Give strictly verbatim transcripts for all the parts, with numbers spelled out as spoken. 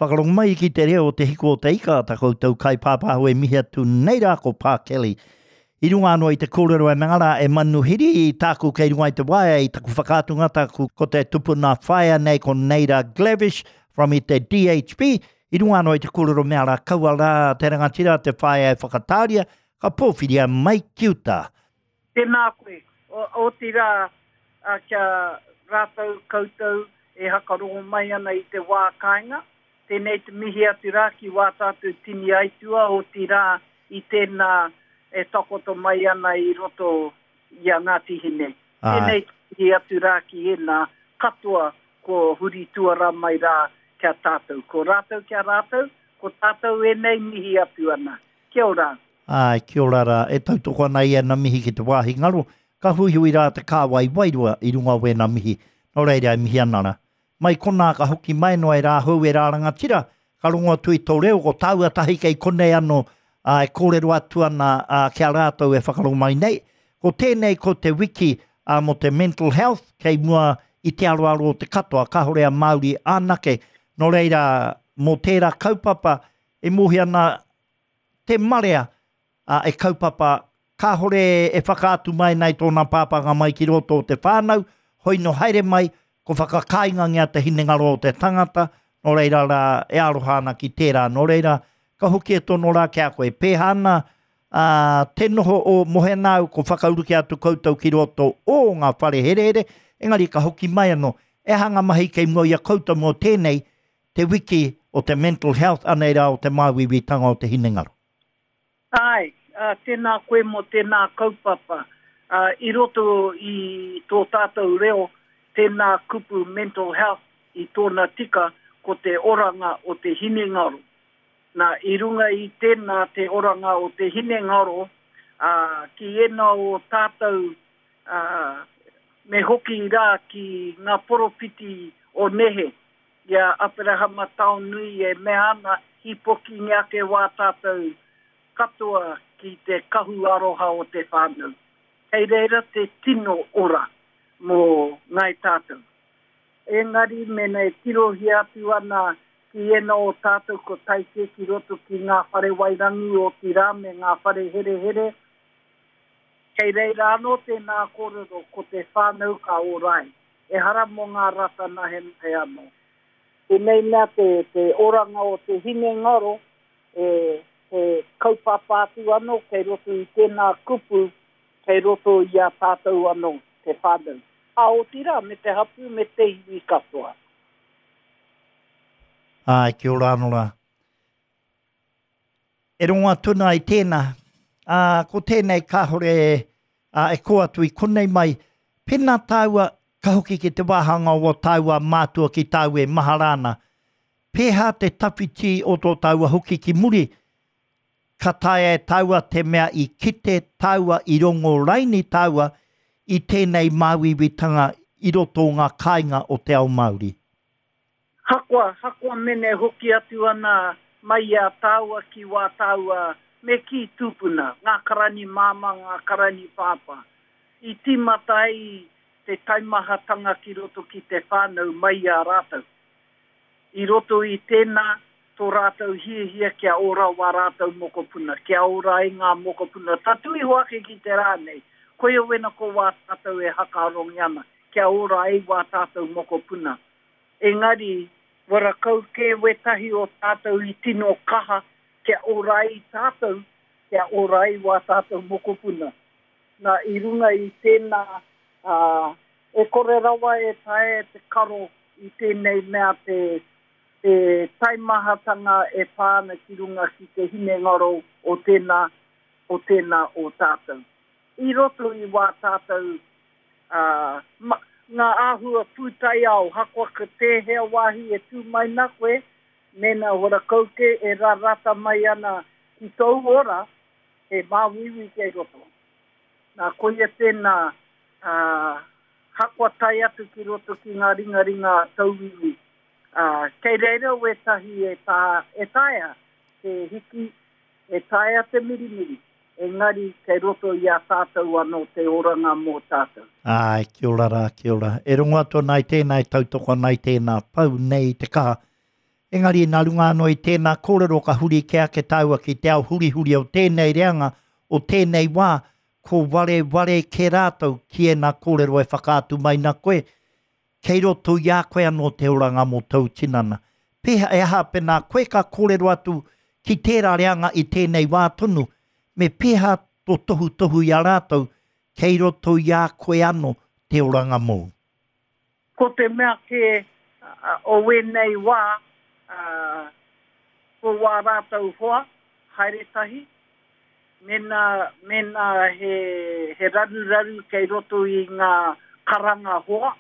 Whakarongo mai ki te reo o Te Hiku o Te Ika, ta koutou kaipāpāho e mihi atu nei rā ko Pā Kelly. I runga anō i te kōrero e mea rā e manuhiri i tāku kei runga i te waea i taku whakaatunga tāku ko te tupuna whaea nei ko Neira Glavish from i te D H B. I runga anō i te kōrero mea rā kaua rā te rangatira te whaea e whakatāria, ka pōwhiria mai ki uta. Tēnā koe, otirā kia rātou koutou e hakarongo mai ana i te wā kāinga, tēnei te mihi atu rā ki wā tātou tini aitua, otirā i tēnā e takoto mai ana i roto i a Ngāti Hine. Tēnei te mihi atu rā ki ēnā katoa ko huri tuara mai rā kia tātou. Ko rātou kia rātou, ko tātou ēnei mihi atu ana. Kia ora. Āe, kia ora rā. E tautoko ana i ēnā mihi ki te wāhi ngaro, ka huihui rā te kāwai wairua i runga o wēnā mihi. Nō reira e mihi ana rā. Mai konā ka hoki mai noa e rāhou e rā rangatira, ka rongo atu i tō reo, ko tāua tahi kei konei anō, ā, e kōrero atu ana, ā, ki a rātou e whakarongo mai nei. Ko tēnei ko te wiki, ā, mō te mental health kei mua i te aroaro o te katoa, kāore a Māori anake. Nō reira, mō tērā kaupapa e mōhio ana te marea, ā, e kaupapa kāore e whakaatu mai nei tōna pāpānga mai ki roto o te whānau, hoi no haere mai, ko whakakāingangia te hinengaro o te tangata, nō reira rā e aroha ana ki tērā, nō reira, ka hoki e tono rā ki a koe. Pēhā ana, ā, te noho o Mohenāu, ko whakauruki atu koutou ki roto o ngā whare herehere, engari ka hoki mai anō. E aha ngā mahi kei mua i a koutou mō tēnei, te wiki o te mental health, anei rā o te māuiuitanga o te hinengaro? Āe, ā, tēnā koe mō tēnā kaupapa. Ā, i roto i tō tātou reo, tēnā kupu mental health i tōna tika ko te oranga o te hinengaro. Nā, i runga i tēnā te oranga o te hinengaro, ā, ki ēnā o tātou, ā, me hoki rā ki ngā poropiti o nehe, i a Aperahama Taonui e mea ana, hīpokingia ake wā tātou katoa ki te kahu aroha o te whānau. Kei reira te tino ora mō ngāi tātou. Engari mēnā e tirohia atu ana ki ēnā o tātou ko tae kē ki roto ki ngā whare wairangi otirā me ngā whare herehere, kei reira anō tēnā kōrero ko te whānau ka ora ai, ehara mō ngā rata nahenahe anō. Tēnei mea te, te oranga o te hinengaro, e, he kaupapa atu anō kei roto i tēnā kupu, kei roto i a tātou anō, te whānau. Ā, otirā, me te hapū, me te iwi katoa. Āe, kia ora anō rā. E rongo atu ana i tēnā, ā, ko tēnei kāore ā, e kō atu i konei mai, pēnā tāua ka hoki ki te wāhanga o ō tāua mātua ki tāu e mahara ana, pēhā te tawhiti o tō tāua hoki ki muri, ka taea e tāua te mea i kite tāua, i rongo raini tāua i tēnei māuiuitanga i roto o ngā kāinga o te ao Māori? Hakoa, hakoa mene hoki atu ana mai i a tāua ki wā tāua me kī tūpuna, ngā karani māmā, ngā karani pāpā. I tīmata ai te taimahatanga ki roto ki te whānau mai i a rātou. I roto i tēnā, tō rātou hiahia kia ora wā rātou mokopuna, kia ora ai ngā mokopuna, tatū iho ake ki te rā nei, koia wena ko wā tātou e hakarongi ana, kia ora ai wā tātou mokopuna. Engari, wara kau kē wētahi o tātou i tino kaha kia ora ai tātou, kia ora ai wā tātou mokopuna. Nā, i runga i tēnā, ā, e kore rawa e taea te karo i tēnei mea te, te taimahatanga e pā ana ki runga ki te hinengaro o tēnā, o tēnā o tātou. I roto i wā tātou, ā, ma, ngā āhua pūtaiao, hakoa ko tēhea wāhi e tū mai nā koe, mēnā hora kauke e rarata mai ana ki tōu ora, he māuiui kei roto. Nā, koia tēnā, ā, hakoa tae atu ki roto ki ngā ringaringa a tauiwi. Ā, kei reira wētahi e tā, e taea te hiki, e taea te mirimiri, engari kei roto i a tātou anō te oranga mō tātou. Āe, kia ora rā, kia ora. E rongo atu ana i tēnā, e tautoko ana i tēnā, pau nei te kaha. Engari nā runga anō i tēnā kōrero ka huri kē ake tāua ki te ao hurihuri o tēnei reanga, o tēnei wā, ko wareware kē rātou ki ēnā kōrero e whakaatu mai na koe, kei roto i a koe anō te oranga mō tōu tinana. Pēhea e aha pēnā koe ka kōrero atu ki tērā reanga i tēnei wā tonu, me pēhea tō tohutohu i a rātou kei roto i a koe anō te oranga mōu? Ko te mea kē o wēnei wā, ko wā rātou hoa, haere tahi, mēnā, mēnā he, he raruraru kei roto i ngā karanga hoa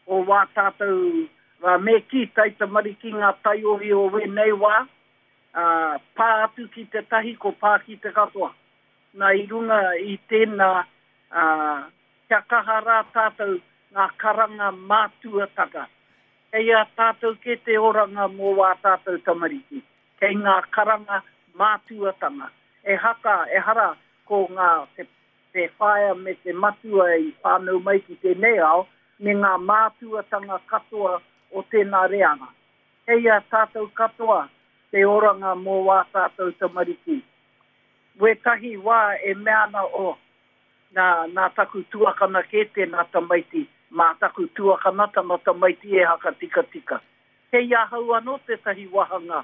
o wā tātou, rā me kī taitamariki ngā taiohi o wēnei wā, ā, pā atu ki te tahi ko pā ki te katoa. Nā i runga i tēnā, ā, kia kaha rā tātou ngā karanga mātuatanga. Kei a tātou kē te oranga mō wā tātou tamariki. Kei ngā karanga mātuatanga. Ehaka, ehara ko ngā, te, te whaea me te matua i whānau mai ki tēnei ao, me ngā mātuatanga katoa o tēnā reanga. Kei a tātou katoa te oranga mō wā tātou tamariki. Wētahi wā e mea ana, oh, nā, nā taku tuakana kē tēnā tamaiti, mā taku tuakana tana tamaiti e hakatikatika. Kei ahau anō tētahi wāhanga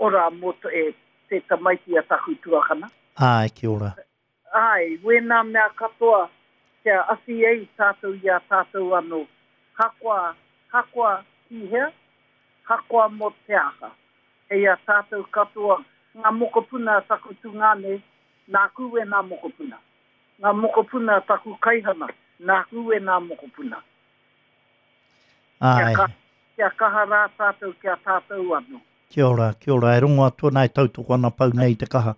ora mō te, te tamaiti a taku tuakana. Āe, kia ora. Āe, wēnā mea katoa kia awhi ai tātou i a tātou anō. Hakoa, hakoa ki hea, hakoa mō te aha. Kei a tātou katoa, ngā mokopuna a taku tungāne, nāku wēnā mokopuna. Ngā mokopuna a taku kaihana, nāku wēnā mokopuna. Āe. Kia kaha, kia kaha rā tātou ki a tātou anō. Kia ora, kia ora, e rongo atu ana e tautoko ana pau nei te kaha.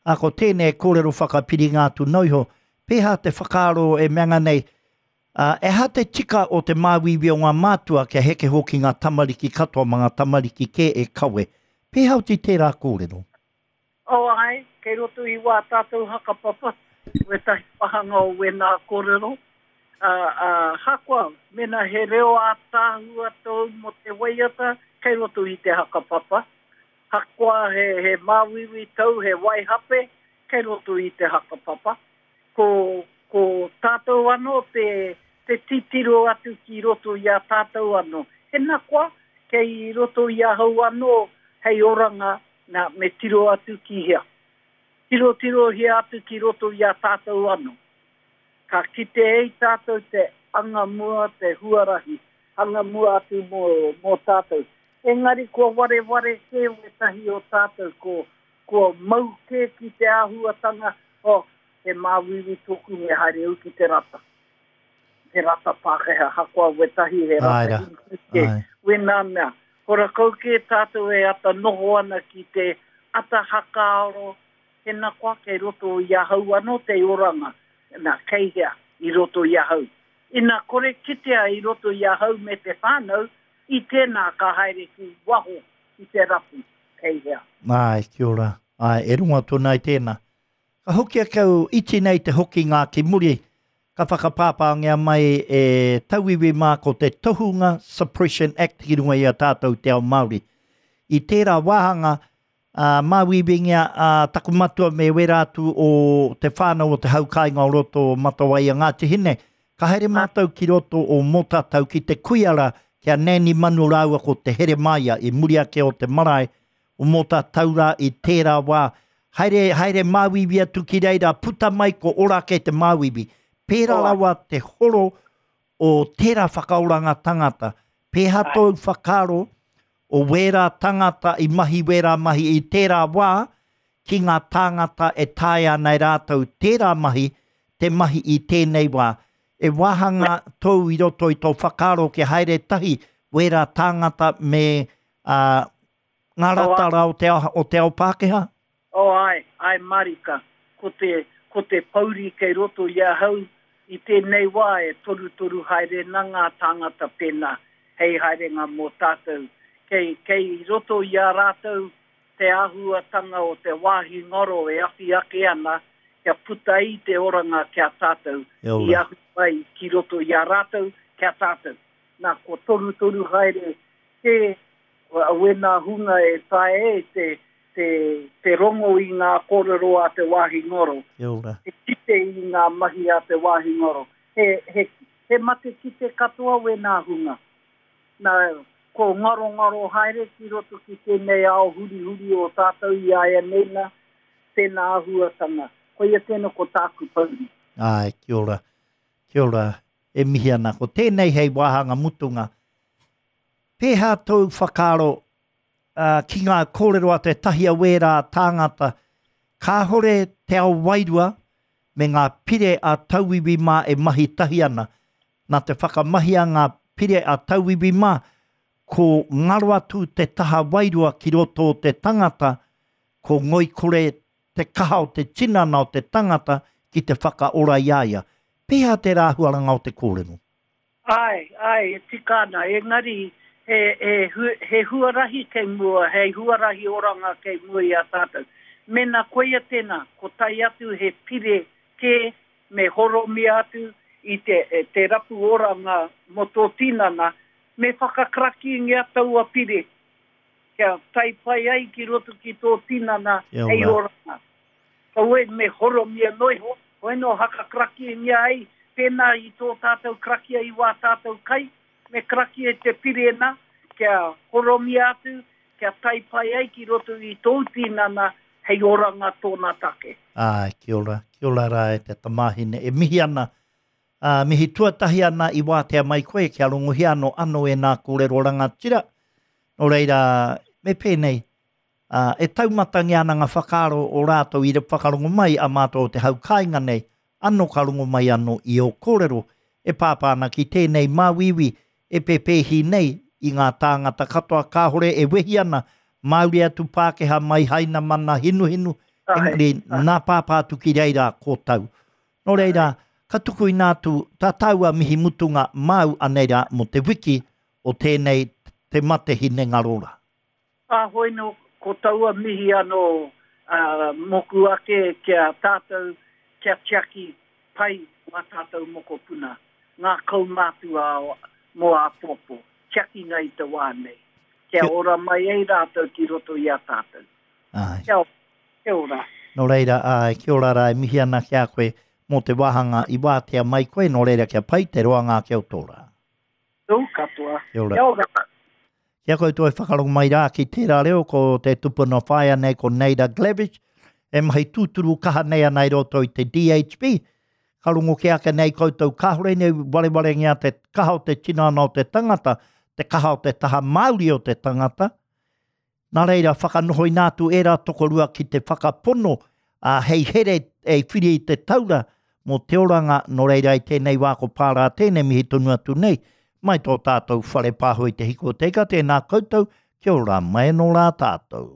Ā, ko tēnei kōrero whakapiringa atu nō iho, pēhā te whakaaro e meanga nei, ā, e aha te tika o te māuiui o ngā mātua kia heke hoki ngā tamariki katoa mā ngā tamariki kē e kawe. Pēhā oti tērā kōrero? Oh, āe, kei roto i wā tātou hakapapa, wētahi wāhanga o wēnā kōrero. Ā, ā, hakoa, mēnā he reo ātaahua tōu mō te waiata, kei roto i te hakapapa. Hakoa he, he māuiui tau, he waihape, kei roto i te hakapapa. Ko, ko tātou anō te, te titiro atu ki roto i a tātou anō. Hena koa, kei roto i ahau anō hei oranga, nā, me tiro atu ki hea. Tirotirohia atu ki roto i a tātou anō. Ka kite ai tātou te anga mua, te huarahi, anga mua atu mō, mō tātou. Engari kua wareware kē wētahi o tātou, ko, kua mau kē ki te āhuatanga, oh, he māuiui tōku me haere au ki te rata. He rata Pākehā, hakoa wētahi he rata Hindu kē. Wēnā mea, horakau kē tātou e ata noho ana ki te ata hakaaro, tēnā koa kei roto i ahau anō te oranga, nā, kei hea i roto i ahau. Ina kore kitea i roto i ahau me te whānau, i tēnā ka haere ki waho ki te rapu, kei hea. Āe, kia ora. Āe, e rongo atu ana i tēnā. Ka hoki ake au, iti nei te hokinga ki muri, ka whakapāpāngia mai e tauiwi mā ko te Tohunga Suppression Act ki runga i a tātou te ao Māori. I tērā wāhanga, ā, māuiuingia a taku matua me wērā atu o te whānau o te hau kāinga o roto o Matawai a Ngāti Hine, ka haere mātou ki roto o Mōtatau ki te kuiara ki a Nanny Manu rāua ko Te Heremaia i muri ake o te marae o Mōtatau rā i tērā wā. Haere, haere māuiui atu ki reira, puta mai ko ora ake te māuiui. Pērā rawa te horo o tērā whakaoranga tangata. Pēhā tōu whakaaro o wērā tangata i mahi wērā mahi i tērā wā ki ngā tāngata e taea ana e rātou tērā mahi te mahi i tēnei wā. E wāhanga tōu i roto i tō whakaaro kia haere tahi wērā tāngata me ā, ngā rata rā o te ao, o te ao Pākehā? Oh, āe, āe mārika. Ko te, ko te pouri kei roto i ahau i tēnei wā e torutoru haere na ngā tāngata pēnā hei haerenga mō tātou. Kei, kei roto i a rātou te āhuatanga o te wāhi ngaro e awhi ake ana kia puta ai te oranga ki a tātou, i ahu mai ki roto i a rātou ki a tātou. Nā, kua torutoru haere kē Wēnā hunga e tae e te, te, te rongo i ngā kōrero a te wāhi ngaro. Kia ora. Te kite i ngā mahi a te wāhi ngaro. He, he, he mate kite katoa wēnā hunga. Nā, ko ngaro ngaro haere ki roto ki tēnei ao huri huri o tātou i aia nei nā, tēnā āhuatanga. Koia tēnā ko tāku pauri. Ai, kia ora. Kia ora. E mihi ana. Ko tēnei hei wāhanga mutunga. Pēhā tōu whakaaro uh, ki ngā kōrero a te tahi a wērā tāngata, kāhore te ao wairua me ngā pire a tauiwi mā e mahi tahi ana. Nā te whakamahia ngā pire a tauiwi mā, ko ngaro atu te taha wairua ki roto o te tangata, ko ngoikore te kaha o te tinana o te tangata ki te whakaora i a ia. Pēhā te rāhuaranga o te kōrero? Ai, ai, e tika ana, engari he, he, he huarahi kei mua, he huarahi oranga kei mua i a tātou. Mena koia tēnā, ko tai atu he pire kē me horomia atu i te, te rapu oranga mō tō tinana, me whakakarakingia taua pire, kia tai pai ai ki roto ki tō tinana hei oranga. Kaue me horomia noiho, hoi no hakakarakingia ai, pēnā i tō tātou karakia i wā tātou kai, me karakia te pire nā, kia horomia atu, kia tai pai ai ki roto i tō tinana, hei oranga tōna take. Ai, kia ora, kia ora rā e te tamāhine. E mihi ana, uh, mihi tuatahi ana i wātea mai koe, kia rongohia anō anō e nā kōrero rangatira. Nō reira, me pēnei, uh, e taumatangia ana ngā whakaaro o rātou i whakarongo mai a mātou o te hau kāinga nei, anō ka rongo mai anō i o kōrero, e pāpā ana ki tēnei māuiui e pēpēhi nei i ngā tāngata katoa kāhore e wehi ana, Māori atu Pākehā mai haina mana hinuhinu, engari nā pāpā atu ki reira ko tau. Nō reira, ka tuku inā atu tā tāua mihi mutunga māu anei rā mō te wiki o tēnei te mate hinengaro rā. A hoi no, ko taua mihi anō uh, moku ake kia tātou, kia tiaki pai wā tātou mokopuna, ngā kaumātua mō āpōpō, tiaki ngai te wā nei. Kia ora mai ei rātou ki roto i a tātou. Ai. Kia, kia ora. Nō reira, ai, kia ora rā, e mihi ana ki a koe mō te wāhanga i wātea mai koe, nō reira kia pai te roanga ake o tō rā. Tō katoa. Kia ora. Kia ora. Kia koutou e whakarongo mai rā ki tērā reo, ko te tupuna whaea nei ko Naida Glavish, e mahi tūturu kaha nei ana i roto i te D H B. Ka rongo ke ake nei koutou kāhore nei warewarengia te kaha o te tinana o te tangata, te kaha o te taha Māori o te tangata. Nā reira, whakanoho inā atu e rā tokorua ki te whakapono, a hei here e whiri i te taura mō te oranga, nō reira i tēnei wā ko pārā tēnei mihi tonu atu nei, mai tō tātou whare pāho i te hiko te ika, tēnā koutou, kia ora mai nō rā tātou.